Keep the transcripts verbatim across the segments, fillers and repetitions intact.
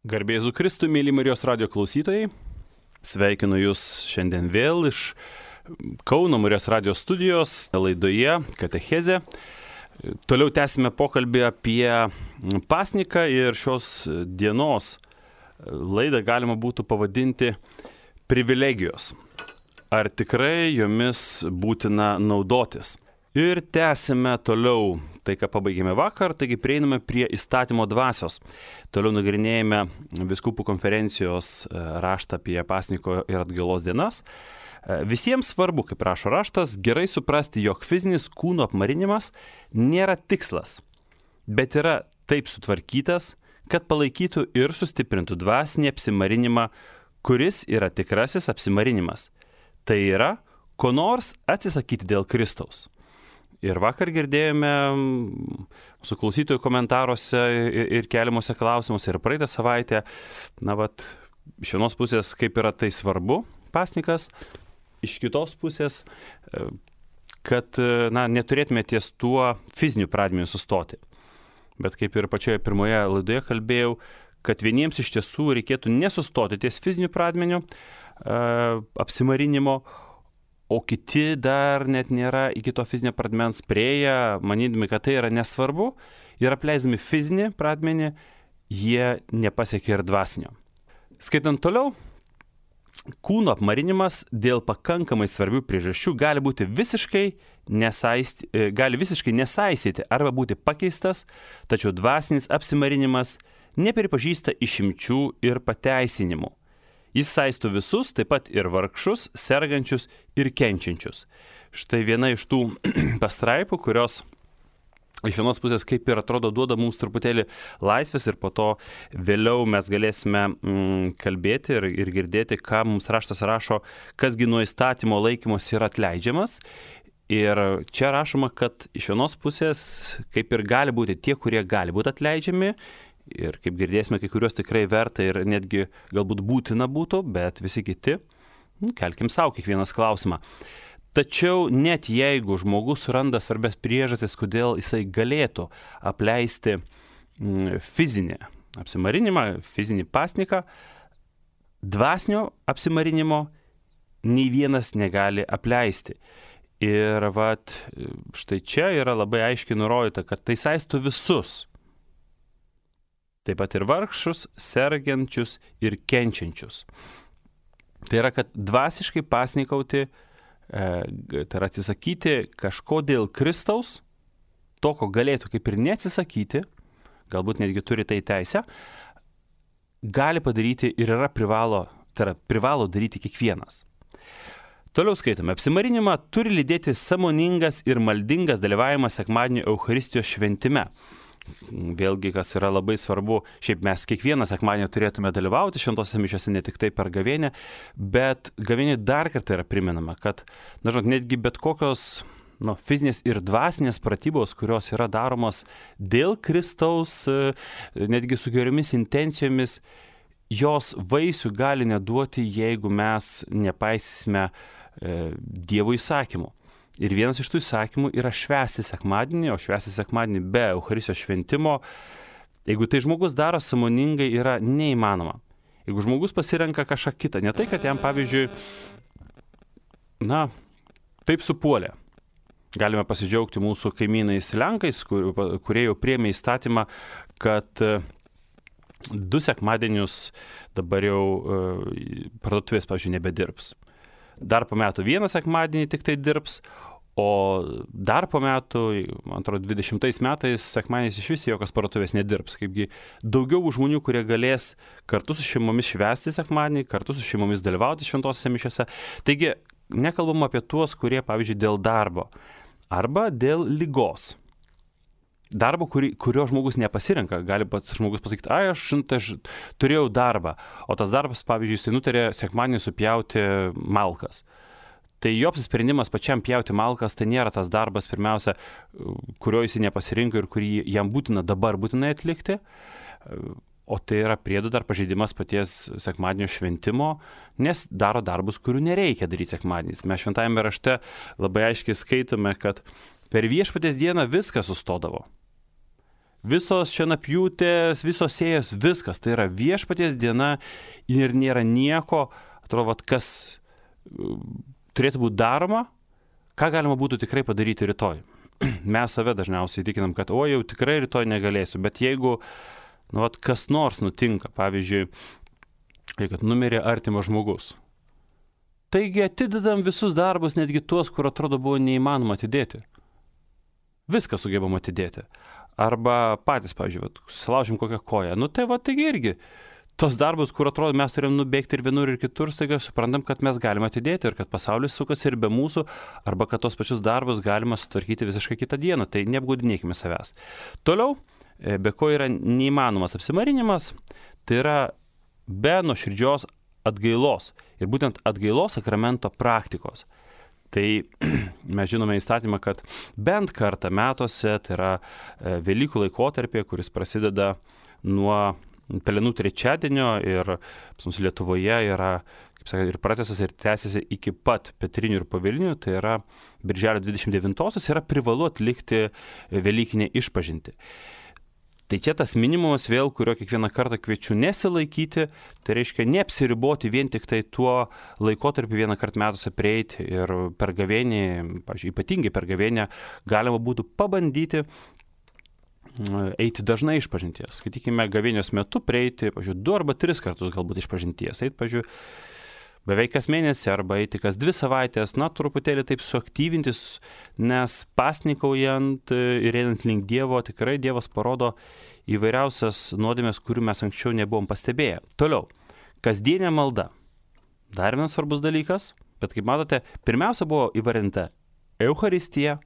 Garbė Jėzui Kristui, mėly Marijos radijo klausytojai. Sveikinu Jūs šiandien vėl iš Kauno Marijos radijo studijos laidoje Katechezė. Toliau tęsime pokalbį apie pasniką ir šios dienos laidą galima būtų pavadinti privilegijos. Ar tikrai jomis būtina naudotis? Ir tęsime toliau tai, ką pabaigėme vakar, taigi prieiname prie įstatymo dvasios. Toliau nagrinėjame Vyskupų konferencijos raštą apie pasniko ir atgailos dienas. Visiems svarbu, kaip rašo raštas, gerai suprasti, jog fizinis kūno apmarinimas nėra tikslas, bet yra taip sutvarkytas, kad palaikytų ir sustiprintų dvasinį apsimarinimą, kuris yra tikrasis apsimarinimas. Tai yra, ko nors atsisakyti dėl Kristaus. Ir vakar girdėjome mūsų klausytojų komentaruose ir keliamuose klausimuose ir praeitą savaitę, na vat, iš vienos pusės, kaip yra tai svarbu, pasnikas, iš kitos pusės, kad na, neturėtume ties tuo fiziniu pradmeniu sustoti. Bet kaip ir pačioje pirmoje laidoje kalbėjau, kad vieniems iš tiesų reikėtų nesustoti ties fiziniu pradmeniu apsimarinimo, o kiti dar net nėra iki to fizinio pradmens priėję, manydami, kad tai yra nesvarbu, ir apleisdami fizinį pradmenį, jie nepasiekia ir dvasinio. Skaitant toliau, kūno apmarinimas dėl pakankamai svarbių priežasčių gali būti visiškai, nesaisti, gali visiškai nesaistyti arba būti pakeistas, tačiau dvasinis apsimarinimas nepripažįsta išimčių ir pateisinimų. Jis saisto visus, taip pat ir vargšus, sergančius ir kenčiančius. Štai viena iš tų pastraipų, kurios iš vienos pusės kaip ir atrodo duoda mums truputėlį laisvės ir po to vėliau mes galėsime mm, kalbėti ir, ir girdėti, ką mums raštas rašo, kasgi nuo įstatymo laikymos yra atleidžiamas. Ir čia rašoma, kad iš vienos pusės kaip ir gali būti tie, kurie gali būti atleidžiami. Ir kaip girdėsime, kai kuriuos tikrai verta ir netgi galbūt būtina būtų, bet visi kiti, kelkim savo kiekvienas klausimą. Tačiau net jeigu žmogus suranda svarbias priežastis, kodėl jisai galėtų apleisti fizinį apsimarinimą, fizinį pasniką, dvasinio apsimarinimo nei vienas negali apleisti. Ir vat, štai čia yra labai aiškiai nurodyta, kad tai saisto visus. Taip pat ir vargšus, sergančius ir kenčiančius. Tai yra, kad dvasiškai pasnikauti, e, tai yra atsisakyti kažko dėl Kristaus, to, ko galėtų kaip ir neatsisakyti, galbūt netgi turi tai teisę, gali padaryti ir yra privalo, tai yra privalo daryti kiekvienas. Toliau skaitome, apsimarinimą turi lydėti sąmoningas ir maldingas dalyvavimas sekmadienio Eucharistijos šventime. Vėlgi, kas yra labai svarbu, šiaip mes kiekvieną sekmadienį turėtume dalyvauti šventose mišiose, ne tik tai per gavėnią, bet gavėniai dar kartą yra priminama, kad, na, žinot, netgi bet kokios nu, fizinės ir dvasinės pratybos, kurios yra daromos dėl Kristaus, netgi su geriomis intencijomis, jos vaisių gali neduoti, jeigu mes nepaisysime e, Dievo įsakymų. Ir vienas iš tų įsakymų yra švęsti sekmadienį, o švęsti sekmadienį be Eucharistijos šventimo, jeigu tai žmogus daro sąmoningai, yra neįmanoma. Jeigu žmogus pasirenka kažką kitą, ne tai, kad jam, pavyzdžiui, na, taip supuolė. Galime pasidžiaugti mūsų kaimynais Lenkais, kur, kurie jau priėmė įstatymą, kad du sekmadienius dabar jau uh, parduotuvės, pavyzdžiui, nebedirbs. Dar po metų vieną sekmadienį tik tai dirbs, o dar po metų, man atrodo, dvidešimtais metais sekmadieniais iš vis jokios parduotuvės nedirbs. Kaipgi daugiau žmonių, kurie galės kartu su šeimomis švęsti sekmadienį, kartu su šeimomis dalyvauti šventosiose mišiose. Taigi, nekalbam apie tuos, kurie, pavyzdžiui, dėl darbo arba dėl ligos. Darbo, kuri, kurio žmogus nepasirenka, gali pats žmogus pasakyti, ai, aš, aš turėjau darbą, o tas darbas, pavyzdžiui, jis tai nutarė sekmadienį supjauti malkas. Tai jo apsisprendimas pačiam pjauti malkas, tai nėra tas darbas, pirmiausia, kurio jis nepasirinko ir kurį jam būtina dabar būtinai atlikti, o tai yra priedu dar pažeidimas paties sekmadienio šventimo, nes daro darbus, kurių nereikia daryti sekmadieniais. Mes šventajame rašte labai aiškiai skaitome, kad per viešpaties dieną viskas sustodavo. visos šienapjūtės, visos sėjos, viskas. Tai yra viešpaties diena ir nėra nieko, atrodo, vat, kas uh, turėtų būti daroma, ką galima būtų tikrai padaryti rytoj. Mes save dažniausiai tikinam, kad o jau tikrai rytoj negalėsiu, bet jeigu nu, vat, kas nors nutinka, pavyzdžiui, kad numirė artimas žmogus, taigi atidedam visus darbus, netgi tuos, kur atrodo buvo neįmanoma atidėti. Viską sugebam atidėti. Arba patys, pavyzdžiui, vat, susilaužim kokią koją. Nu tai va, taigi irgi tos darbus, kur atrodo mes turim nubėgti ir vienur ir kitur, staiga suprantam, kad mes galime atidėti ir kad pasaulis sukasi ir be mūsų, arba kad tos pačius darbus galima sutvarkyti visiškai kitą dieną. Tai neapgaudinėkime savęs. Toliau, be ko yra neįmanomas apsimarinimas, tai yra be nuoširdžios atgailos ir būtent atgailos sakramento praktikos. Tai mes žinome įstatymą, kad bent kartą metuose, tai yra Velykų laikotarpė, kuris prasideda nuo Pelenų trečiadienio ir pas mus Lietuvoje yra, kaip sakant, ir pratęsas ir tęsiasi iki pat Petrinių ir Pavilnių, tai yra Birželio dvidešimt devintosios, yra privalu atlikti Velykinę išpažintį. Tai čia tas minimumas vėl, kurio kiekvieną kartą kviečiu nesilaikyti, tai reiškia neapsiriboti vien tik tai tuo laikotarpiu vieną kartą metuose prieiti ir per gavėnį, pavyzdžiui, ypatingai per gavėnę, galima būtų pabandyti eiti dažnai išpažinties. Skaitykime, gavėnios metu prieiti, pavyzdžiui, du arba tris kartus galbūt išpažinties. Eiti, pavyzdžiui, beveik kas mėnesį arba eiti kas dvi savaitės, na, truputėlį taip suaktyvintis, nes pasnikaujant ir einant link Dievo, tikrai Dievas parodo įvairiausias nuodėmės, kurių mes anksčiau nebuvom pastebėję. Toliau, kasdienė malda. Dar vienas svarbus dalykas, bet kaip matote, pirmiausia buvo įvardinta Eucharistija,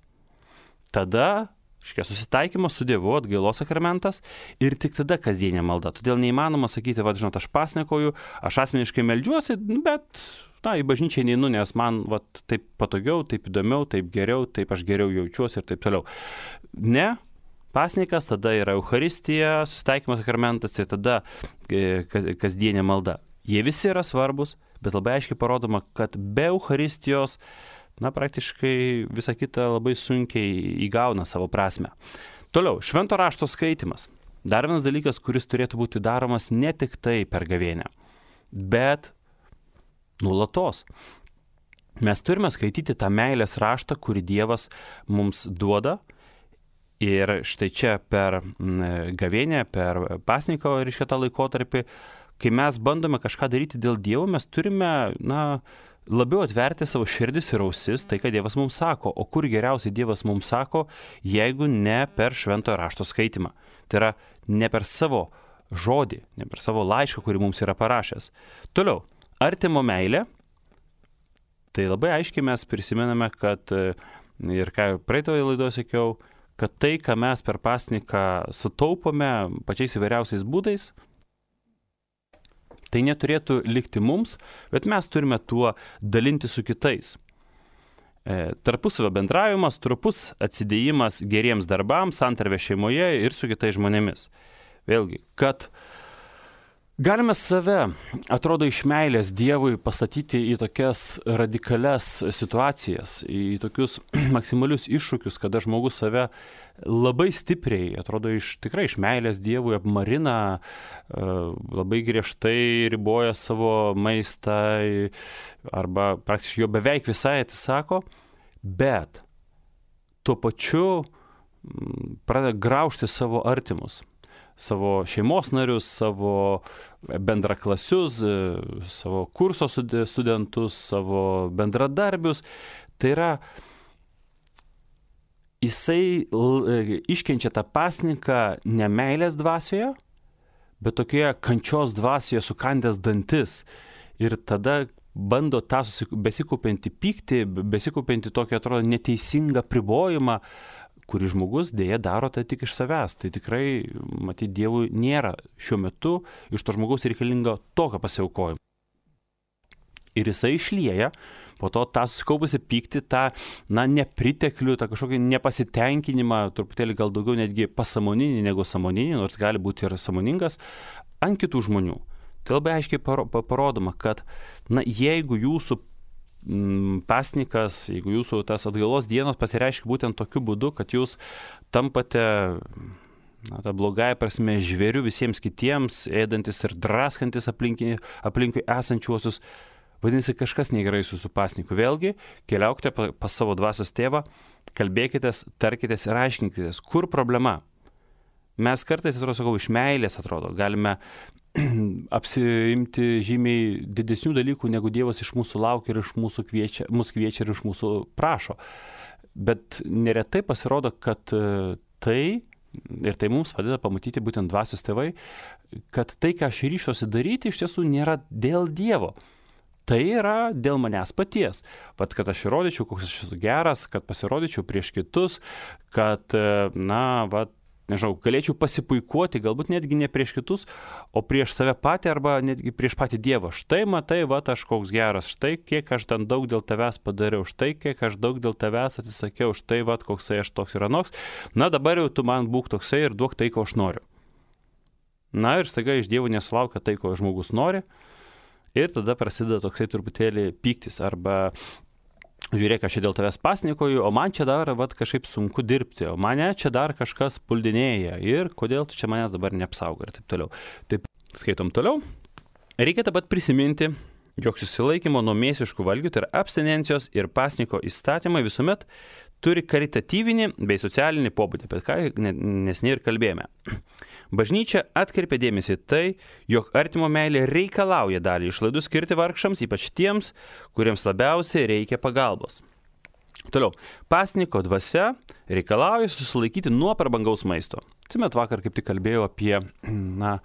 tada Škia susitaikymas su Dievu, atgailos sakramentas ir tik tada kasdienė malda. Todėl neįmanoma sakyti, va, žinot, aš pasnikoju, aš asmeniškai meldžiuosi, bet na, į bažnyčią neinu, nes man va, taip patogiau, taip įdomiau, taip geriau, taip aš geriau jaučiuosi ir taip toliau. Ne, pasnikas, tada yra Eucharistija, susitaikymas sakramentas ir tada kas, kasdienė malda. Jie visi yra svarbus, bet labai aiškiai parodoma, kad be Eucharistijos na, praktiškai visa kita labai sunkiai įgauna savo prasme. Toliau, švento rašto skaitimas. Dar vienas dalykas, kuris turėtų būti daromas ne tik tai per gavėnę, bet nuolatos. Mes turime skaityti tą meilės raštą, kurį Dievas mums duoda. Ir štai čia per gavėnę, per pasninko ir šitą laikotarpį, kai mes bandome kažką daryti dėl Dievo, mes turime, na, labiau atverti savo širdis ir ausis, tai ką Dievas mums sako. O kur geriausiai Dievas mums sako, jeigu ne per šventojo rašto skaitimą. Tai yra ne per savo žodį, ne per savo laišką, kurį mums yra parašęs. Toliau, artimo meilė. Tai labai aiškiai mes prisimename, kad, ir ką praeitoje laidoje sakiau, kad tai, ką mes per pasniką sutaupome pačiais įvairiausiais būdais, tai neturėtų likti mums, bet mes turime tuo dalinti su kitais. E, tarpusavio bendravimas, trupus atsidėjimas geriems darbams, santarvė šeimoje ir su kitais žmonėmis. Vėlgi, kad galime save, atrodo, iš meilės Dievui pastatyti į tokias radikalias situacijas, į tokius maksimalius iššūkius, kada žmogus save labai stipriai, atrodo, iš, tikrai iš meilės Dievui apmarina, labai griežtai riboja savo maistą arba praktiškai jo beveik visai atsisako, bet tuo pačiu pradeda graužti savo artimus, savo šeimos narius, savo bendraklasius, savo kurso studentus, savo bendradarbius. Tai yra, jisai iškenčia tą pasninką ne meilės dvasioje, bet tokioje kančios dvasioje sukandęs dantis. Ir tada bando tą besikaupiantį pyktį, besikaupiantį tokį, atrodo, neteisingą pribojimą, kurį žmogus dėja daro tai tik iš savęs. Tai tikrai, matyt, Dievui nėra šiuo metu iš to žmogaus reikalingo tokio pasiaukojimo. Ir jisai išlieja po to tą susikaupusi pyktį, tą, na, nepriteklių, tą kažkokį nepasitenkinimą, truputėlį gal daugiau netgi pasąmoninį negu sąmoninį, nors gali būti ir sąmoningas, ant kitų žmonių. Tai labai aiškiai parodoma, kad, na, jeigu jūsų pasnikas, jeigu jūsų tas atgailos dienos pasireiškia būtent tokiu būdu, kad jūs tampate, na, ta blogąja prasme žvėriu visiems kitiems, ėdantis ir draskantis aplinkui, aplinkui esančiuosius, vadinasi, kažkas negerai su jūsų pasniku. Vėlgi, keliaukite pas savo dvasios tėvą, kalbėkitės, tarkitės ir aiškinkitės, kur problema. Mes kartais, atrodo, sakau, iš meilės atrodo, galime apsiimti žymiai didesnių dalykų, negu Dievas iš mūsų laukia ir iš mūsų kviečia, mūsų kviečia ir iš mūsų prašo. Bet neretai pasirodo, kad tai, ir tai mums padeda pamatyti būtent dvasios tėvai, kad tai, ką aš ryštuosi daryti, iš tiesų nėra dėl Dievo. Tai yra dėl manęs paties. Vat, kad aš įrodyčiau, koks aš esu geras, kad pasirodyčiau prieš kitus, kad, na, vat, nežinau, galėčiau pasipuikuoti, galbūt netgi ne prieš kitus, o prieš save patį arba netgi prieš patį Dievą. Štai matai, va, aš koks geras, štai kiek aš ten daug dėl tavęs padariau, štai kiek aš daug dėl tavęs atsisakiau, štai va, koksai aš toks ir anoks. Na, dabar jau tu man būk toksai ir duok tai, ko aš noriu. Na ir staiga iš Dievo nesulaukia tai, ko žmogus nori. Ir tada prasideda toksai truputėlį pyktis arba žiūrėk, aš čia dėl tavęs pasnikoju, o man čia dar vat, kažkaip sunku dirbti, o mane čia dar kažkas puldinėja ir kodėl tu čia manęs dabar neapsaugo ir taip toliau. Taip, skaitom toliau. Reikia taip pat prisiminti, jog susilaikymo nuo mėsiškų valgių, tai yra abstinencijos ir pasniko įstatymai visuomet turi karitatyvinį bei socialinį pobūdį, apie ką neseniai ir kalbėjome. Bažnyčia atkreipia dėmesį tai, jog artimo meilė reikalauja dalį išlaidų skirti vargšams, ypač tiems, kuriems labiausiai reikia pagalbos. Toliau, pasniko dvasia reikalauja susilaikyti nuo prabangaus maisto. Atsimet, vakar kaip tik kalbėjau apie, na,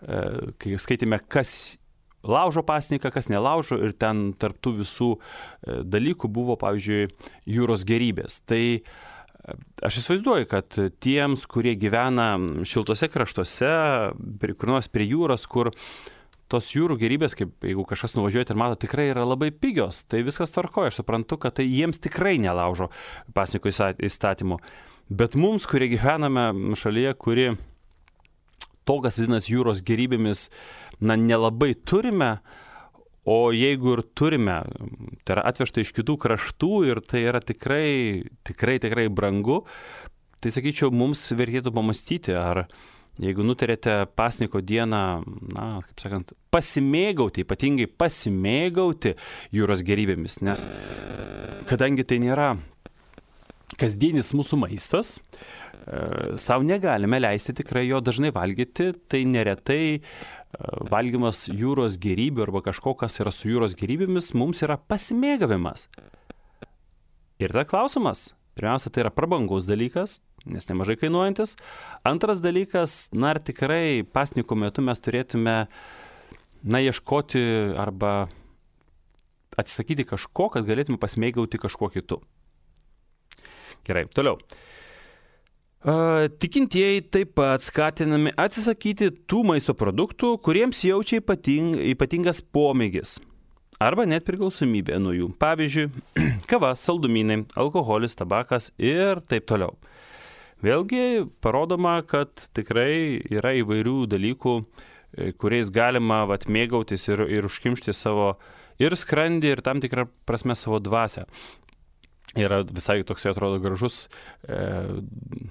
kai skaitėme, kas laužo pasniką, kas nelaužo, ir ten tarptų visų dalykų buvo, pavyzdžiui, jūros gėrybės. Tai aš įsivaizduoju, kad tiems, kurie gyvena šiltose kraštuose, kur nors prie jūros, kur tos jūrų gėrybės, kaip jeigu kažkas nuvažiuojate ir mato, tikrai yra labai pigios, tai viskas tvarkoja. Aš suprantu, kad tai jiems tikrai nelaužo pasniko įstatymų. Bet mums, kurie gyvename šalyje, kuri to, kas vadinasi jūros gėrybėmis, na, nelabai turime, o jeigu ir turime, tai yra atvežta iš kitų kraštų ir tai yra tikrai, tikrai, tikrai brangu, tai sakyčiau, mums vertėtų pamastyti, ar jeigu nutarėte pasniko dieną, na, kaip sakant, pasimėgauti, ypatingai pasimėgauti jūros gėrybėmis, nes kadangi tai nėra kasdienis mūsų maistas, savo negalime leisti tikrai jo dažnai valgyti, tai neretai valgymas jūros gėrybių arba kažko, kas yra su jūros gėrybėmis, mums yra pasimėgavimas. Ir ta klausimas, pirmiausia, tai yra prabangos dalykas, nes nemažai kainuojantis. Antras dalykas, na, ar tikrai pasniko metu mes turėtume, na, ieškoti arba atsisakyti kažko, kad galėtume pasimėgauti kažkuo kitu. Gerai, toliau. Tikintieji taip pat skatinami atsisakyti tų maisto produktų, kuriems jaučia ypating, ypatingas pomėgis arba net priklausomybė nuo jų. Pavyzdžiui, kava, saldumynai, alkoholis, tabakas ir taip toliau. Vėlgi parodoma, kad tikrai yra įvairių dalykų, kuriais galima vat, mėgautis ir, ir užkimšti savo ir skrandį, ir tam tikrą prasme savo dvasią. Yra visai toksai, atrodo, gražus, e,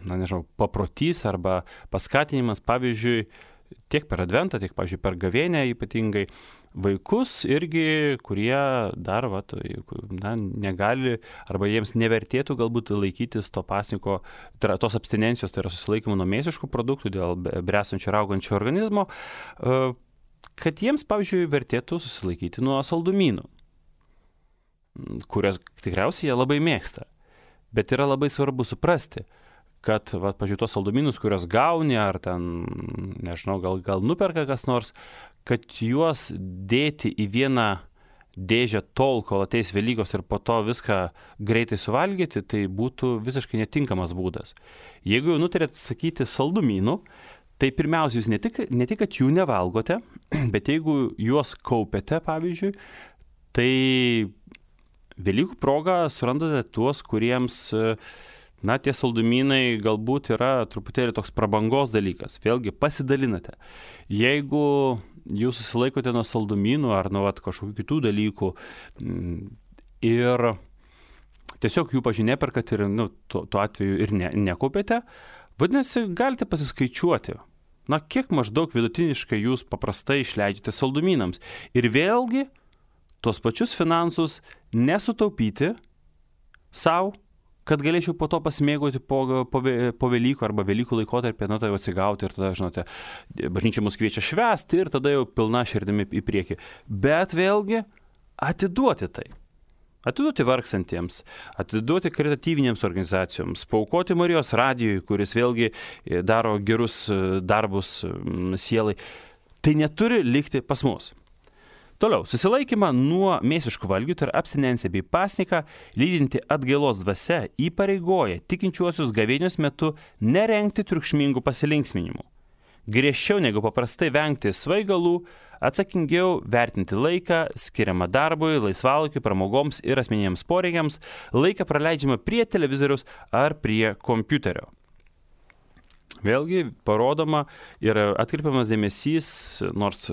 na nežinau, paprotys arba paskatinimas, pavyzdžiui, tiek per adventą, tiek, pavyzdžiui, per gavėnę ypatingai vaikus irgi, kurie dar, va, na, negali arba jiems nevertėtų galbūt laikytis to pasniko, tai yra tos abstinencijos, tai yra susilaikymo nuo mėsiškų produktų dėl bresančio ir augančio organizmo, e, kad jiems, pavyzdžiui, vertėtų susilaikyti nuo saldumynų, kurias tikriausiai jie labai mėgsta. Bet yra labai svarbu suprasti, kad, va, pažiūrėjau, tos saldumynus, kurios gauni, ar ten, nežinau, gal, gal nuperka kas nors, kad juos dėti į vieną dėžę tol, kol ateis Velykos ir po to viską greitai suvalgyti, tai būtų visiškai netinkamas būdas. Jeigu jau nutarėt sakyti saldumynų, tai pirmiausia, jūs ne tik, ne tik, kad jų nevalgote, bet jeigu juos kaupiate, pavyzdžiui, tai Velykų proga surandate tuos, kuriems, na, tie saldumynai galbūt yra truputėlį toks prabangos dalykas. Vėlgi, pasidalinate. Jeigu jūs susilaikote nuo saldumynų ar nuo vat, kažkokių kitų dalykų ir tiesiog jų, pažiūrėjau, neperkat ir, nu, tuo, tuo atveju ir ne, nekaupėte, Vadinasi, galite pasiskaičiuoti, na, kiek maždaug vidutiniškai jūs paprastai išleidžiate saldumynams. Ir vėlgi, tuos pačius finansus nesutaupyti savo, kad galėčiau po to pasimėgauti po, po, po Velykų arba Velykų laikotarpį, na, tai jau atsigauti ir tada, žinote, bažnyčia mus kviečia švęsti ir tada jau pilna širdimi į priekį. Bet vėlgi, atiduoti tai. Atiduoti vargsantiems, atiduoti karitatyvinėms organizacijoms, paaukoti Marijos radijui, kuris vėlgi daro gerus darbus sielai. Tai neturi likti pas mus. Toliau, susilaikymą nuo mėsiškų valgių, tai yra abstinenciją bei pasniką, lydinti atgailos dvasia įpareigoja tikinčiuosius gavėnios metu nerengti triukšmingų pasilinksminimų. Griežčiau negu paprastai vengti svaigalų, atsakingiau vertinti laiką, skiriamą darbui, laisvalaikiui, pramogoms ir asmeniniams poreikiams, laiką praleidžiamą prie televizoriaus ar prie kompiuterio. Vėlgi parodoma ir atkreipiamas dėmesys, nors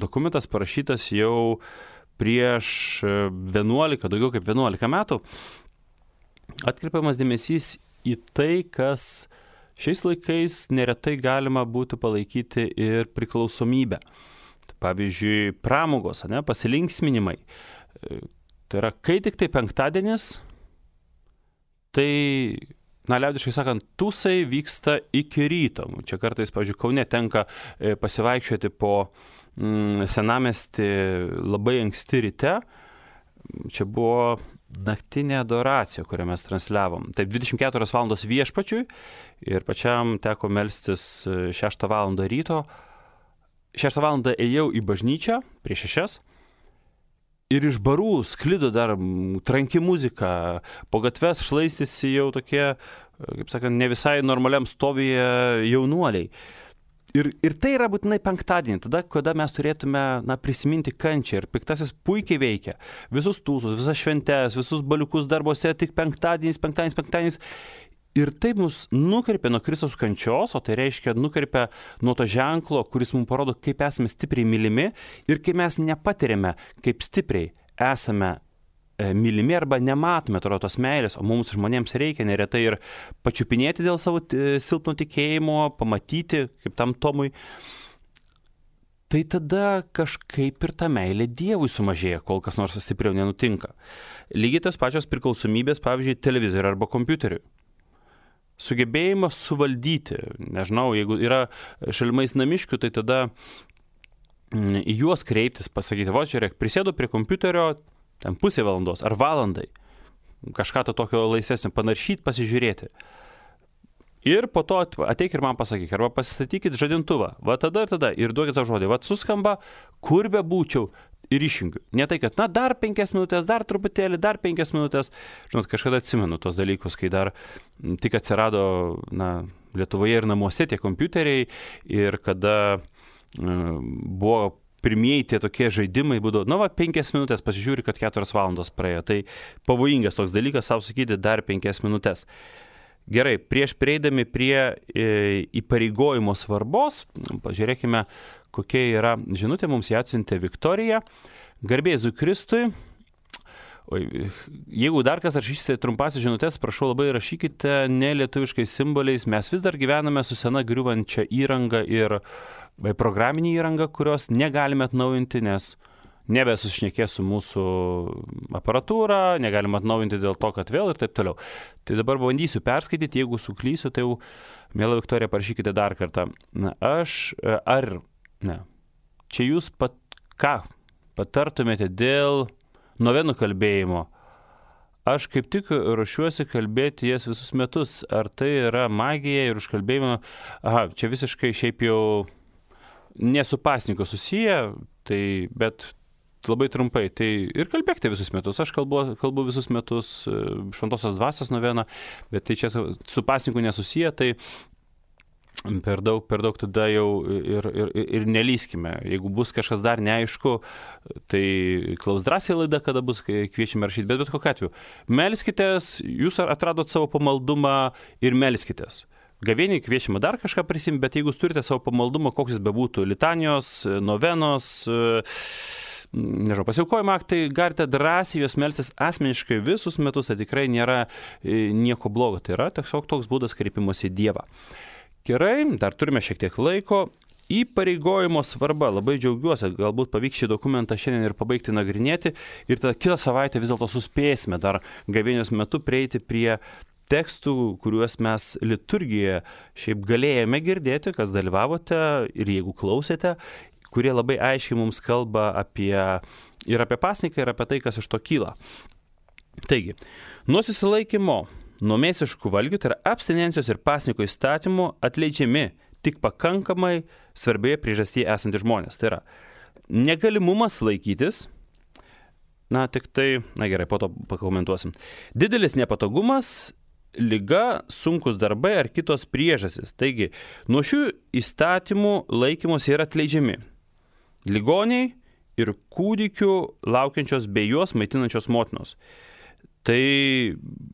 dokumentas parašytas jau prieš vienuolika, daugiau kaip vienuolika metų, atkreipiamas dėmesys į tai, kas šiais laikais neretai galima būtų palaikyti ir priklausomybę. Pavyzdžiui, pramogos, ne, pasilinksminimai. Tai yra, kai tik tai penktadienis, tai, na, liaudiškai sakant, tūsai vyksta iki ryto. Čia kartais, pavyzdžiui, Kaune tenka pasivaikščioti po mm, senamiestį labai anksti ryte. Čia buvo naktinė adoracija, kurią mes transliavom. Taip, dvidešimt keturios valandos viešpačiui ir pačiam teko melstis šeštą valandą ryto. Šeštą valandą ėjau į bažnyčią prieš šešias ir iš barų sklido dar tranki muzika, po gatves šlaistėsi jau tokie, kaip sakant, ne visai normaliam stovyje jaunuoliai. Ir, ir tai yra būtinai penktadienį, tada, kada mes turėtume, na, prisiminti kančią. Ir piktasis puikiai veikia. Visus tūsus, visas šventes, visus baliukus darbuose, tik penktadienis, penktadienis, penktadienis. Ir taip mus nukreipia nuo Kristaus kančios, o tai reiškia nukreipia nuo to ženklo, kuris mums parodo, kaip esame stipriai mylimi ir kaip mes nepatiriame, kaip stipriai esame mylimi arba nematome tos meilės, o mums žmonėms reikia neretai ir pačiupinėti dėl savo silpno tikėjimo, pamatyti, kaip tam Tomui. Tai tada kažkaip ir ta meilė Dievui sumažėja, kol kas nors stipriau nenutinka. Lygiai tos pačios priklausomybės, pavyzdžiui, televizoriui arba kompiuteriui. Sugebėjimas suvaldyti, nežinau, jeigu yra šalimais namiškių, tai tada į juos kreiptis, pasakyti, va, žiūrėk, prisėdu prie kompiuterio, ten pusė valandos ar valandai, kažką to tokio laisvesnio panaršyti, pasižiūrėti. Ir po to ateik ir man pasakyk, arba pasistatykit žadintuvą, va tada ir tada, ir duokit tą žodį, va suskamba, kur be būčiau, ir išjungiu. Ne tai, kad, na, dar penkias minutės, dar truputėlį, dar penkias minutės. Žinot, kažkada atsimenu tos dalykus, kai dar tik atsirado, na, Lietuvoje ir namuose tie kompiuteriai ir kada uh, buvo pirmieji tie tokie žaidimai, būdavo, na, va, penkias minutės pasižiūri, kad keturios valandos praėjo. Tai pavojingas toks dalykas, savo sakyti, dar penkias minutės. Gerai, prieš prieidami prie e, įpareigojimo svarbos, pažiūrėkime, kokia yra žinutė, mums ją atsiuntė Viktorija. Garbė Jėzui Kristui. O, jeigu dar kas rašysite trumpasis žinutės, prašau labai rašykite ne lietuviškais simboliais. Mes vis dar gyvename su sena griuvančia įranga ir programinė įranga, kurios negalime atnaujinti, nes nebesušnekės su mūsų aparatūra, negalime atnaujinti dėl to, kad vėl ir taip toliau. Tai dabar bandysiu perskaityti, jeigu suklysiu, tai jau, mėla Viktorija, parašykite dar kartą. Na, aš, ar, ne, čia jūs pat, ką patartumėte dėl novenų kalbėjimo? Aš kaip tik ruošiuosi kalbėti jas visus metus. Ar tai yra magija ir užkalbėjimo? Aha, čia visiškai šiaip jau ne su pasninku susiję, tai, bet labai trumpai, tai ir kalbėkite visus metus. Aš kalbu, kalbu visus metus šventosios dvasios noveną, bet tai čia su pasninku nesusiję, tai per daug, per daug tada jau ir, ir, ir nelyskime. Jeigu bus kažkas dar neaišku, tai klaus drąsiai laida, kada bus kviečiame rašyti, bet bet kokiu atveju. Melskitės, jūs atradot savo pamaldumą ir melskitės. Gavėniai kviečiame dar kažką prisimti, bet jeigu jūs turite savo pamaldumą, koks jis bebūtų, litanijos, novenos, nežinau, pasiaukojimo aktai, galite drąsiai juos melstis asmeniškai visus metus, tai tikrai nėra nieko blogo, tai yra tiesiog toks būdas kreipimosi į Dievą. Gerai, dar turime šiek tiek laiko. Įpareigojimo svarba, labai džiaugiuosi, galbūt pavyks šį dokumentą šiandien ir pabaigti nagrinėti ir tada kitą savaitę vis dėlto suspėsime dar gavėnios metu prieiti prie tekstų, kuriuos mes liturgijoje šiaip galėjome girdėti, kas dalyvavote ir jeigu klausėte, kurie labai aiškiai mums kalba apie, ir apie pasniką, ir apie tai, kas iš to kyla. Taigi, nuo susilaikymo, nuo mėsiškų valgių, tai yra abstinencijos ir pasniko įstatymų atleidžiami tik pakankamai svarbioje priežastyje esantys žmonės. Tai yra negalimumas laikytis, na tik tai, na gerai, po to pakomentuosim. Didelis nepatogumas, liga, sunkus darbai ar kitos priežastys. Taigi, nuo šių įstatymų laikymosi yra atleidžiami ligoniai ir kūdikių laukiančios bei juos maitinančios motinos. Tai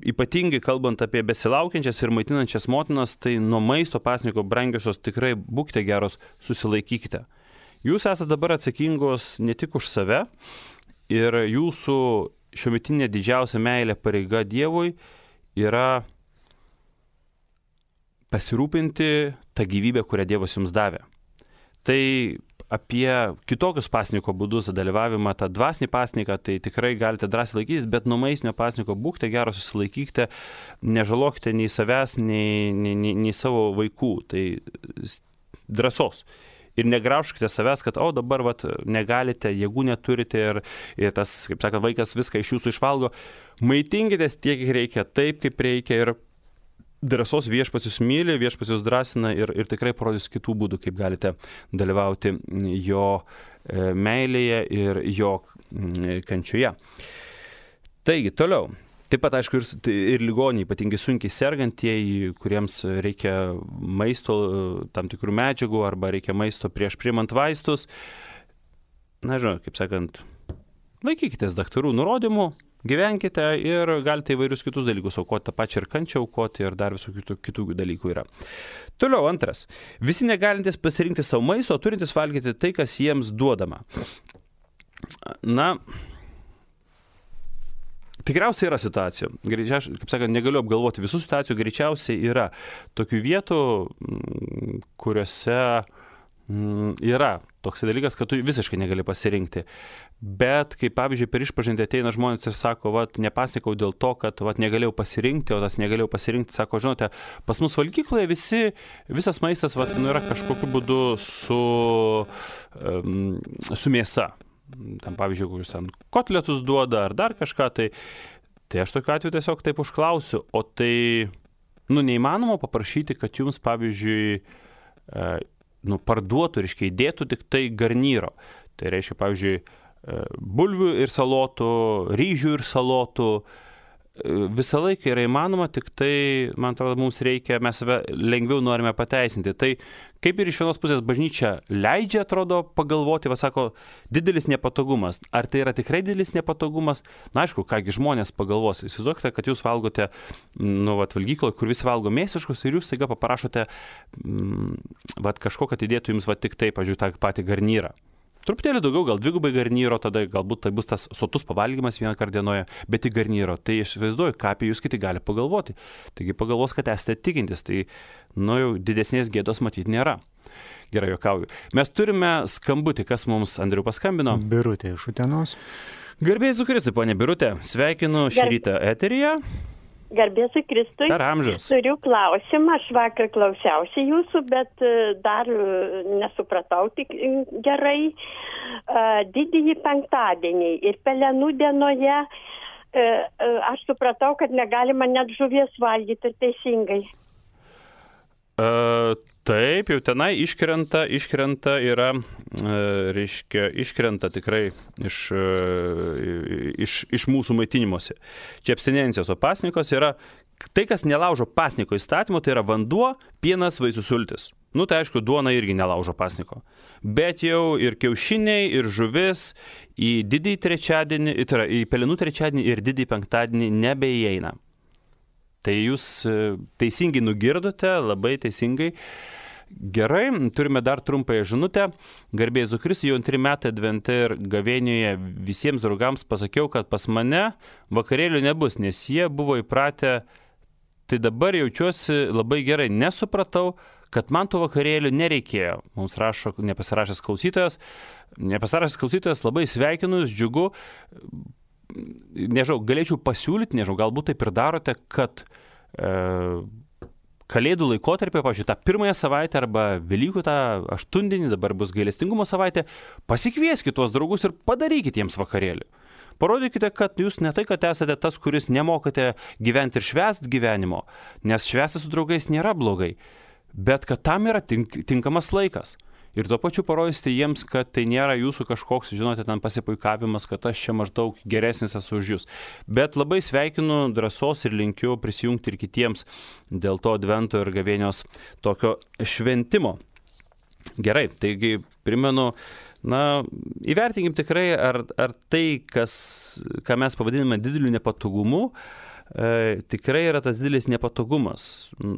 ypatingai kalbant apie besilaukiančias ir maitinančias motinas, tai nuo maisto pasniko brangiosios tikrai būkite geros, susilaikykite. Jūs esate dabar atsakingos ne tik už save ir jūsų šiuometinė didžiausia meilė pareiga Dievui yra pasirūpinti tą gyvybę, kurią Dievas jums davė. Tai apie kitokius pasniko būdus dalyvavimą, tą dvasinį pasniką, tai tikrai galite drąsiai laikytis, bet nuo maistinio pasniko būkite geros, susilaikykite, nežalokite nei savęs, nei, nei, nei, nei savo vaikų. Tai drąsos. Ir negraužkite savęs, kad, o dabar vat, negalite, jėgų neturite ir, ir tas, kaip sakant, vaikas viską iš jūsų išvalgo. Maitinkitės tiek, kiek reikia, taip, kaip reikia ir drąsos viešpats jūs myli, viešpats jūs drąsina ir, ir tikrai parodys kitų būdų, kaip galite dalyvauti jo meilėje ir jo kančioje. Taigi, toliau. Taip pat, aišku, ir, ir ligoniai, ypatingai sunkiai sergantieji, kuriems reikia maisto, tam tikrų medžiagų arba reikia maisto prieš priimant vaistus. Na, žinau, kaip sakant, laikykitės daktarų nurodymų, gyvenkite ir galite įvairius kitus dalykus aukoti, tą pačią ir kančią aukoti ir dar visų kitų, kitų dalykų yra. Toliau antras. Visi negalintys pasirinkti savo maisto, turintys valgyti tai, kas jiems duodama. Na, tikriausiai yra situacija. Greičiausiai, kaip sakant, negaliu apgalvoti visų situacijų, greičiausiai yra tokių vietų, kuriuose yra toks dalykas, kad tu visiškai negali pasirinkti. Bet, kaip pavyzdžiui, per išpažintį ateina žmonės ir sako, vat, nepasnikau dėl to, kad vat, negalėjau pasirinkti, o tas negalėjau pasirinkti, sako, žinote, pas mus valgykloje visi, visas maistas vat, nu, yra kažkokiu būdu su, um, su mėsa. Tam, pavyzdžiui, kokius ten kotletus duoda ar dar kažką, tai, tai aš tokiu atveju tiesiog taip užklausiu, o tai, nu, neįmanoma paprašyti, kad jums, pavyzdžiui, uh, nu, parduotų, reiškia, įdėtų tik tai garnyro. Tai reiškia, pavyzdžiui, bulvių ir salotų, ryžių ir salotų. Visą laiką yra įmanoma, tik tai, man atrodo, mums reikia, mes save lengviau norime pateisinti. Tai kaip ir iš vienos pusės bažnyčia leidžia, atrodo, pagalvoti, va sako, didelis nepatogumas. Ar tai yra tikrai didelis nepatogumas? Na, aišku, kągi žmonės pagalvos. Įsivaizduokite, kad jūs valgote, nu, vat, valgykloje, kur visi valgo mėsiškus ir jūs staiga paprašote, mm, vat, kažko, kad įdėtų jums, va, tik tai, pažiūrėjau, tą patį garnyrą. Truputėlį daugiau, gal dvigubai garnyro, tada galbūt tai bus tas sotus pavalgymas vieną kartą dienoje, bet į garnyro. Tai aš vaizduoju, ką apie jūs kiti gali pagalvoti. Taigi pagalvos, kad esate tikintis, tai nu jau didesnės gėdos matyti nėra. Gerai, juokauju. Mes turime skambutį, kas mums, Andriu, paskambino. Birutė iš Utenos. Garbėjai su Kristui, ponė Birutė. Sveikinu šį Gar... rytą eteryje. Garbėsiu Kristui. Per amžius. Turiu klausimą, aš vakar klausiausi jūsų, bet dar nesupratau tik gerai. Didįjį penktadienį ir Pelenų dienoje aš supratau, kad negalima net žuvies valgyti, ir teisingai. Uh, taip, jau tenai iškrenta, iškrenta yra, uh, reiškia, iškrenta tikrai iš, uh, iš, iš mūsų maitinimuose. Čia abstinencijos, o pasnikos yra, tai kas nelaužo pasniko įstatymo, tai yra vanduo, pienas, vaisių sultis. Nu, tai aišku, duona irgi nelaužo pasniko. Bet jau ir kiaušiniai, ir žuvis į didįjį trečiadienį, tai yra į Pelenų trečiadienį ir didįjį penktadienį nebeįeina. Tai jūs teisingai nugirdote, labai teisingai. Gerai, turime dar trumpąją žinutę. Garbė Jėzui Kristui, jau antri metai advente ir gavėnioje visiems draugams pasakiau, kad pas mane vakarėlių nebus, nes jie buvo įpratę, tai dabar jaučiuosi labai gerai. Nesupratau, kad man tų vakarėlių nereikėjo. Mums rašo nepasirašęs klausytojas. Nepasirašęs klausytojas, labai sveikinu, džiugu. Nežinau, galėčiau pasiūlyti, nežinau, galbūt taip ir darote, kad e, Kalėdų laikotarpį, pavyzdžiui, tą pirmąją savaitę arba Velykų tą aštundienį, dabar bus gailestingumo savaitė, pasikvieskite tuos draugus ir padarykite jiems vakarėlį. Parodykite, kad jūs ne tai, kad esate tas, kuris nemokate gyventi ir švęsti gyvenimo, nes švęsti su draugais nėra blogai, bet kad tam yra tink, tinkamas laikas. Ir tuo pačiu parodysite jiems, kad tai nėra jūsų kažkoks, žinote, ten pasipuikavimas, kad aš čia maždaug geresnis esu už jūs. Bet labai sveikinu drąsos ir linkiu prisijungti ir kitiems dėl to advento ir gavėnios tokio šventimo. Gerai, taigi primenu, na, įvertinkim tikrai, ar, ar tai, kas, ką mes pavadiname dideliu nepatogumu, E, tikrai yra tas didelis nepatogumas.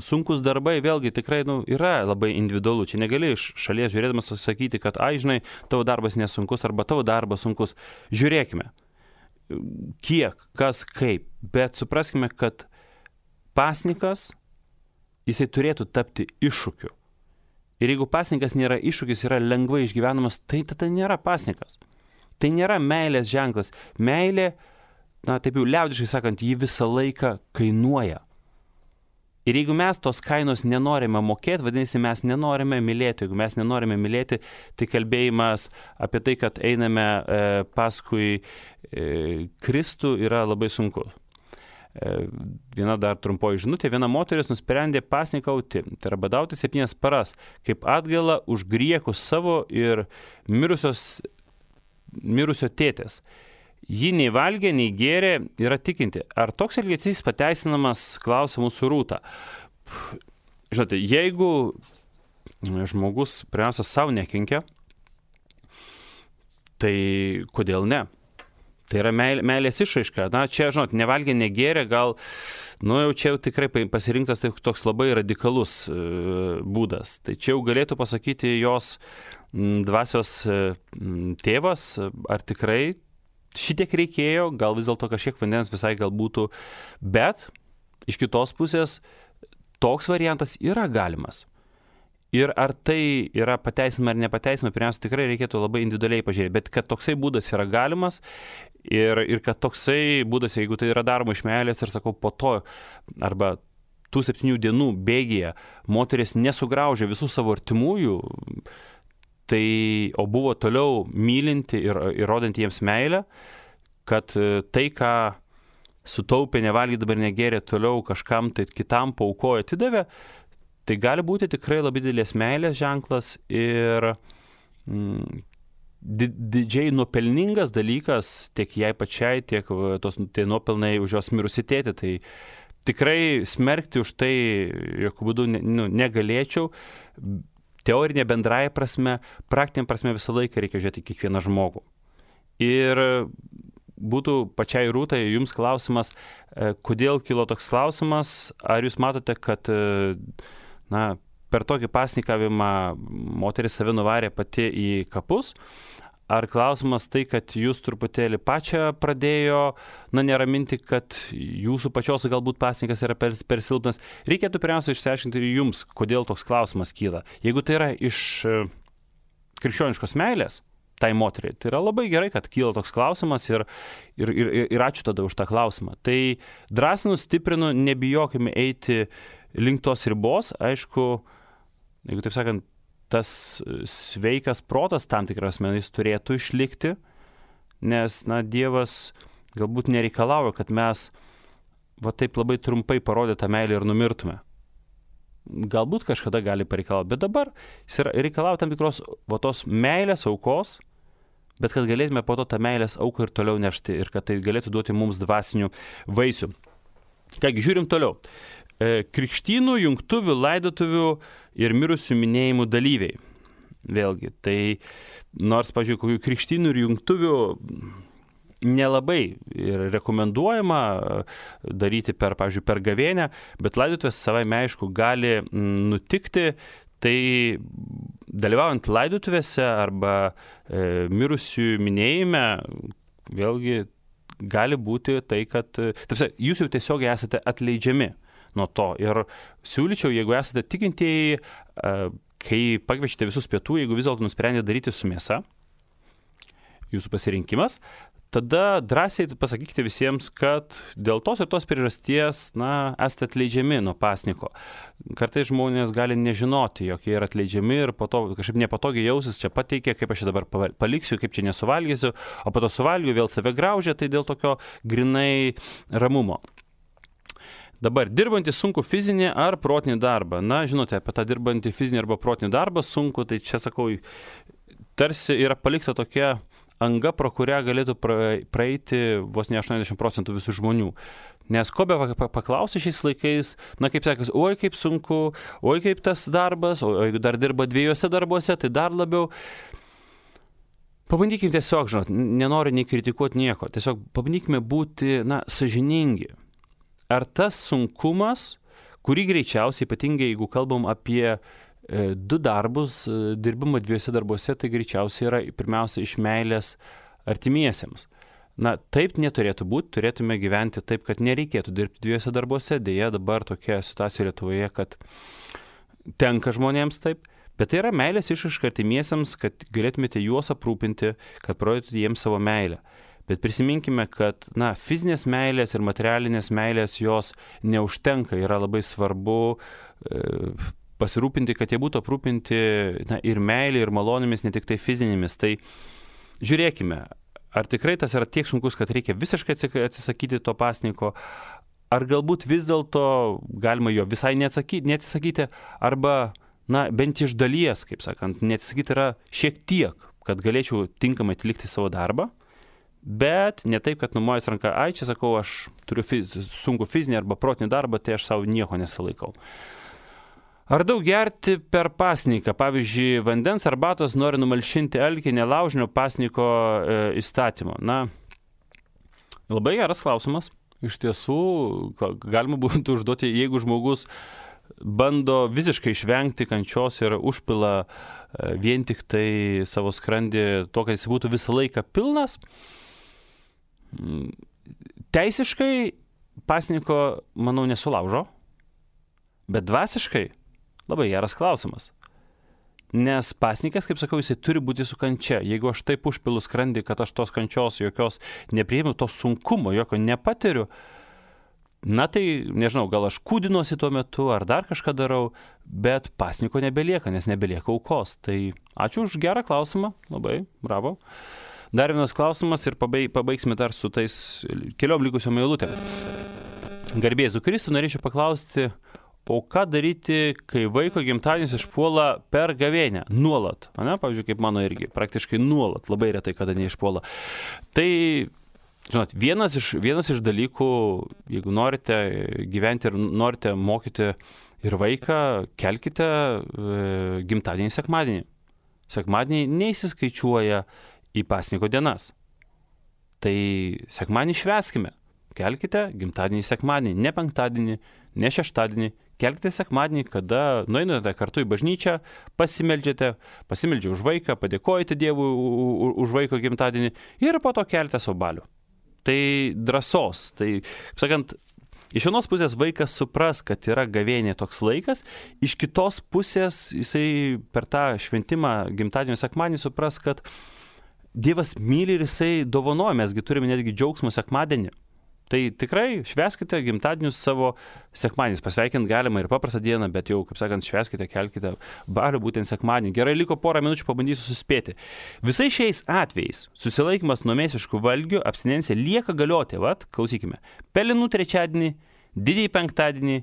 Sunkus darbai vėlgi tikrai nu, yra labai individualu. Čia negali iš šalies žiūrėdamas sakyti, kad, ai, žinai, tavo darbas nesunkus arba tavo darbas sunkus. Žiūrėkime, kiek, kas, kaip, bet supraskime, kad pasninkas, jisai turėtų tapti iššūkiu. Ir jeigu pasninkas nėra iššūkis, yra lengvai išgyvenamas, tai tada nėra pasninkas. Tai nėra meilės ženklas. Meilė, na, taip jau liaudiškai sakant, jį visą laiką kainuoja. Ir jeigu mes tos kainos nenorime mokėti, vadinasi, mes nenorime mylėti. Jeigu mes nenorime mylėti, tai kalbėjimas apie tai, kad einame e, paskui e, Kristų, yra labai sunku. E, viena dar trumpoji žinutė. Viena moteris nusprendė pasnikauti, tai yra badauti septynias paras, kaip atgailą už griekus savo ir mirusios, mirusio tėtės. Ji nei valgė, nei gėrė, yra tikinti. Ar toks elgesys pateisinamas, klausia mūsų Rūta. Žinote, jeigu žmogus pirmiausia savo nekenkia, tai kodėl ne? Tai yra meilė, meilės išraiška. Na, čia, žinot, nevalgė, negėrė, gal, nu jau čia jau tikrai pasirinktas tai toks labai radikalus e, būdas. Tai čia jau galėtų pasakyti jos m, dvasios e, tėvas, ar tikrai šitiek reikėjo, gal vis dėlto kažkiek vandens visai gal būtų, bet iš kitos pusės toks variantas yra galimas. Ir ar tai yra pateisinama ar nepateisinama, pirmiausia, tikrai reikėtų labai individualiai pažiūrėti, bet kad toksai būdas yra galimas ir, ir kad toksai būdas, jeigu tai yra daroma iš meilės ir sakau po to, arba tų septynių dienų bėgyje moteris nesugraužė visų savo artimųjų, tai, o buvo toliau mylinti ir, ir rodanti jiems meilę, kad tai, ką sutaupė, nevalgė, dabar negėrė, toliau kažkam tai kitam paaukojo, atidavė, tai gali būti tikrai labai didelės meilės ženklas ir mm, didžiai nuopelningas dalykas tiek jai pačiai, tiek tos tai nuopelnai už jos mirusį tėtį. Tai tikrai smerkti už tai, jokių būdų ne, nu, negalėčiau. Teorinė bendraja prasme, praktinė prasme visą laiką reikia žiūrėti kiekvieną žmogų. Ir būtų pačiai Rūtai jums klausimas, kodėl kilo toks klausimas, ar jūs matote, kad na, per tokį pasnikavimą moteris save nuvarė pati į kapus, ar klausimas tai, kad jūs truputėlį pačią pradėjo, na, neraminti, kad jūsų pačios galbūt pasnikas yra per, per silpnas. Reikėtų pirmiausia išsiaiškinti ir jums, kodėl toks klausimas kyla. Jeigu tai yra iš krikščioniškos meilės tai moteriai, tai yra labai gerai, kad kyla toks klausimas ir, ir, ir, ir ačiū tada už tą klausimą. Tai drąsinu, stiprinu, nebijokime eiti link tos ribos. Aišku, jeigu taip sakant, tas sveikas protas tam tikras menais turėtų išlikti, nes, na, Dievas galbūt nereikalauja, kad mes va taip labai trumpai parodę tą meilę ir numirtume. Galbūt kažkada gali pareikalauti, bet dabar jis reikalauja tam tikros va tos meilės aukos, bet kad galėtume po to tą meilės auką ir toliau nešti ir kad tai galėtų duoti mums dvasinių vaisių. Kągi, žiūrim toliau. Krikštynų, jungtuvių, laidotuvių ir mirusių minėjimų dalyviai. Vėlgi, tai nors, pažiūrėjau, kokių krikštynų ir jungtuvių nelabai ir rekomenduojama daryti per, pažiūrėjau, per gavėnę, bet laidotuvės savaime aišku gali nutikti, Tai dalyvaujant laidotuvėse arba e, mirusių minėjime, vėlgi gali būti tai, kad tarsi, jūs jau tiesiogiai esate atleidžiami nuo to. Ir siūlyčiau, jeigu esate tikintieji, e, kai pakviečite visus pietų, jeigu vis dėlto nusprendėte daryti su mėsa, jūsų pasirinkimas, tada drąsiai pasakykite visiems, kad dėl tos ir tos priežasties, na, esate atleidžiami nuo pasniko. Kartais žmonės gali nežinoti, jog jie yra atleidžiami ir po to kažkaip nepatogiai jausis, čia pateikė, kaip aš čia dabar paliksiu, kaip čia nesuvalgysiu, o po to suvalgiu, vėl save graužia, tai dėl tokio grinai ramumo. Dabar, dirbantį sunku fizinį ar protinį darbą. Na, žinote, apie tą dirbantį fizinį arba protinį darbą sunku, tai čia sakau, tarsi yra palikta tokia anga, pro kurią galėtų praeiti vos ne aštuoniasdešimt procentų visų žmonių. Nes ko be paklausi šiais laikais, na kaip sakas, oi kaip sunku, oi kaip tas darbas, o jeigu dar dirba dviejose darbuose, tai dar labiau. Pabandykime tiesiog, žinot, nenoriu nei kritikuoti nieko, tiesiog pabandykime būti, na, sąžiningi. Ar tas sunkumas, kurį greičiausiai, ypatingai jeigu kalbam apie du darbus, dirbimą dviejose darbuose, tai greičiausiai yra pirmiausia iš meilės artimiesiems. Na, taip neturėtų būti, turėtume gyventi taip, kad nereikėtų dirbti dviejose darbuose, dėja dabar tokia situacija Lietuvoje, kad tenka žmonėms taip, bet tai yra meilės išraiška artimiesiems, kad galėtumėte juos aprūpinti, kad parodytumėte jiems savo meilę. Bet prisiminkime, kad, na, fizinės meilės ir materialinės meilės jos neužtenka, yra labai svarbu e, pasirūpinti, kad jie būtų aprūpinti, na, ir meilė, ir malonėmis, ne tik tai fizinėmis. Tai žiūrėkime, ar tikrai tas yra tiek sunkus, kad reikia visiškai atsisakyti to pasniko, ar galbūt vis dėlto galima jo visai neatsisakyti, arba, na, bent iš dalies, kaip sakant, neatsisakyti yra šiek tiek, kad galėčiau tinkamai atlikti savo darbą, bet ne taip, kad numojus ranką, ai, čia sakau, aš turiu fiz, sunku fizinį arba protinį darbą, tai aš savo nieko nesilaikau. Ar daug gerti per pasniką? Pavyzdžiui, vandens arbatos nori numalšinti alkį nelaužinio pasniko e, įstatymo. Na, labai geras klausimas. Iš tiesų, galima būtų užduoti, jeigu žmogus bando visiškai išvengti kančios ir užpila e, vien tik tai savo skrandį to, kad jis būtų visą laiką pilnas. Teisiškai pasniko, manau, nesulaužo, bet dvasiškai labai geras klausimas. Nes pasnikas, kaip sakau, jisai turi būti su kančia. Jeigu aš taip užpilu skrandį, kad aš tos kančios jokios nepriėmiau, to sunkumo jokio nepatiriu, na tai, nežinau, gal aš kūdinuosi tuo metu ar dar kažką darau, bet pasniko nebelieka, nes nebelieka aukos. Tai ačiū už gerą klausimą, labai, bravo. Dar vienas klausimas ir pabaig, pabaigsime dar su tais keliom likusiom eilutėm. Garbėzu Kristų, norėčiau paklausti, o ką daryti, kai vaiko gimtadienis išpuola per gavėnią? Nuolat. Ne? Pavyzdžiui, kaip mano irgi. Praktiškai nuolat. Labai retai, kada neišpuola. Tai, žinot, vienas iš, vienas iš dalykų, jeigu norite gyventi ir norite mokyti ir vaiką, kelkite e, gimtadienį sekmadienį. Sekmadienį neįsiskaičiuoja į pasniko dienas. Tai sekmadienį švęskime. Kelkite gimtadienį sekmadienį, ne penktadienį, ne šeštadienį. Kelkite sekmadienį, kada nueinate kartu į bažnyčią, pasimeldžiate, pasimeldžiate už vaiką, padėkojate Dievui už vaiko gimtadienį ir po to kelite savo balių. Tai drąsos. Tai, kaip sakant, iš vienos pusės vaikas supras, kad yra gavėnė toks laikas, iš kitos pusės jisai per tą šventimą gimtadienio sekmadienį supras, kad Dievas myli ir jisai dovanoja, mesgi turime netgi džiaugsmo sekmadienį. Tai tikrai švęskite gimtadienius savo sekmadieniais. Pasveikint galima ir paprastą dieną, bet jau, kaip sakant, švęskite, kelkite balių būtent sekmadienį. Gerai, liko porą minučių, pabandysiu suspėti. Visais šiais atvejais susilaikymas nuo mėsiškų valgių, abstinencija lieka galioti. Vat, klausykime. Pelenų trečiadienį, didįjį penktadienį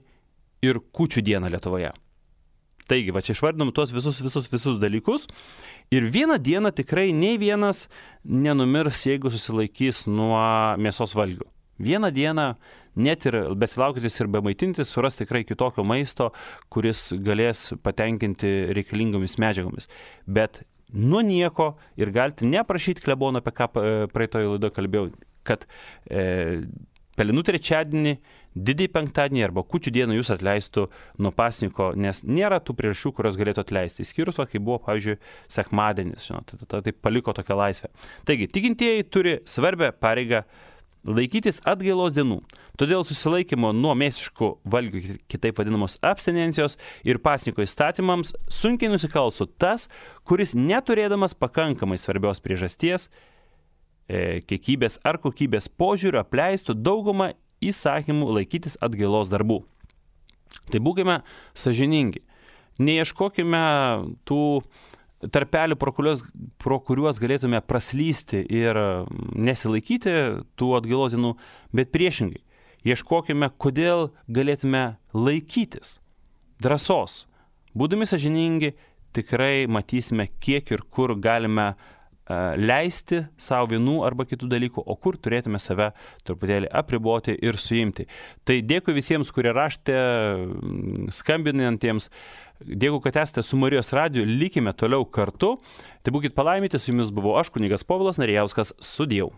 ir kūčių dieną Lietuvoje. Taigi, va čia išvardinom tuos visus, visus, visus dalykus. Ir vieną dieną tikrai nei vienas nenumirs, jeigu susilaikys nuo mėsos valgių. Vieną dieną, net ir besilaukiantis ir bemaitintis, suras tikrai kitokio maisto, kuris galės patenkinti reikalingomis medžiagomis. Bet nuo nieko ir galite neprašyti klebono, apie ką praeitoje laidoje kalbėjau, kad e, Pelenų trečiadienį, didįjį penktadienį arba kūčių dieną jūs atleistų nuo pasniko, nes nėra tų priežasčių, kurios galėtų atleisti. Įskyrus, va, kai buvo, pavyzdžiui, sekmadienis, žinot, tai, tai paliko tokią laisvę. Taigi, tikintieji turi svarbę pareigą laikytis atgailos dienų. Todėl susilaikymo nuo mėsiškų valgių, kitaip vadinamos abstinencijos ir pasniko įstatymams sunkiai nusikalstų tas, kuris neturėdamas pakankamai svarbios priežasties, e, kiekybės ar kokybės požiūrio apleistų daugumą įsakymų laikytis atgailos darbų. Tai būkime sąžiningi. Neieškokime tų tarpelių, pro kuriuos, pro kuriuos galėtume praslysti ir nesilaikyti tų atgailos dienų, bet priešingai. Ieškokime, kodėl galėtume laikytis. Drąsos. Būdami sąžiningi, tikrai matysime, kiek ir kur galime uh, leisti savo vienų arba kitų dalykų, o kur turėtume save truputėlį apriboti ir suimti. Tai dėkui visiems, kurie raštė, skambinantiems. Dėkui, kad esate su Marijos radiju, likime toliau kartu. Tai būkit palaiminti, su jumis buvau aš, kunigas Povilas Narijauskas, sudiev.